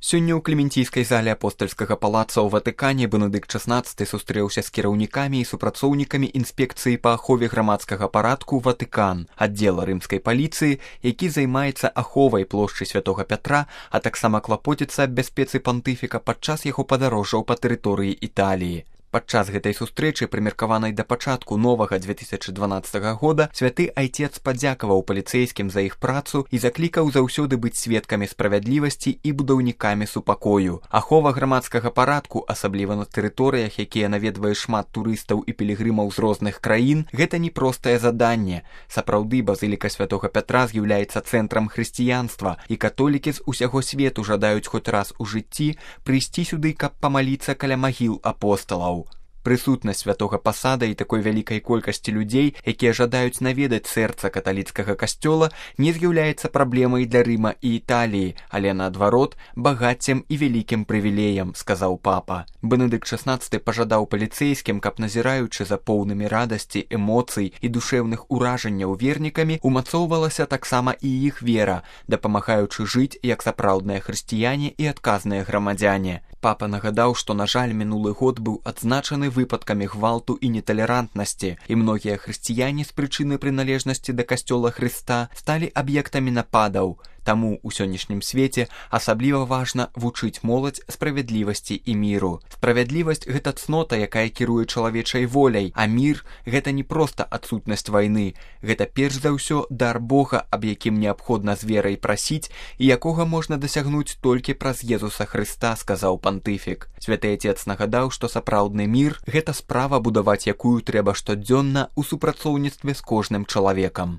Сёння ў клементійскай зале апостальскага палаца ў Ватыкане Бенедыкт XVI сустрэўся з кіраўнікамі і супрацоўнікамі інспекцыі па ахове грамадскага парадку Ватыкан, аддзела рымскай паліцыі, які займаецца аховай плошчы Святога Пятра, а таксама клапоціцца аб бяспецы пантыфіка падчас яго падарожжаў па тэрыторыі Італіі. Падчас гэтай сустрэчы, прымеркаванай да пачатку новага 2012 года, святы айцец падзякаваў паліцэйскім за іх працу і заклікаў заўсёды быць сведкамі справядлівасці і будаўнікамі супакою. Ахова грамадскага парадку, асабліва на тэрыторыях, якія наведвае шмат турыстаў і пілігрымаў з розных краін, гэта не простае заданне. Сапраўды, базыліка Святога Пятра з'яўляецца цэнтрам хрысціянства, і католікі з усяго свету жадаюць хоць раз у жыцці прыйсці сюды, каб памаліцца каля магіл апосталаў. Прысутнасць святога пасада і такой вялікай колькасці людзей, якія жадаюць наведаць сэрца каталіцкага касцёла, не з'яўляецца праблемай для Рыма і Італіі, але наадварот, багаццем і вялікім прывілеем, сказаў папа. Бенедыкт XVI пажадаў паліцэйскім, каб назіраючы за поўнымі радасці, эмоцый і душэўных уражанняў вернікамі, умацоўвалася таксама і іх вера, дапамагаючы жыць як сапраўдныя хрысціяне і адказныя грамадзяне. Папа нагадаў, што, на жаль, мінулы год быў адзначаны выпадкамі гвалту і неталерантнасці, і многія хрысціяне з прычыны прыналежнасці да касцёла Хрыста сталі аб'ектамі нападаў. Таму ў сённяшнім свеце асабліва важна вучыць моладзь справядлівасці і міру. Справядлівасць – гэта цнота, якая кіруе чалавечай воляй, а мір – гэта не проста адсутнасць вайны. Гэта перш за ўсё дар Бога, аб якім неабходна з верай прасіць і якога можна дасягнуць толькі праз Езуса Хрыста, сказаў пантыфік. Святы Айцец нагадаў, што сапраўдны мір – гэта справа, будаваць якую трэба штодзённа ў супрацоўніцтве з кожным чалавекам.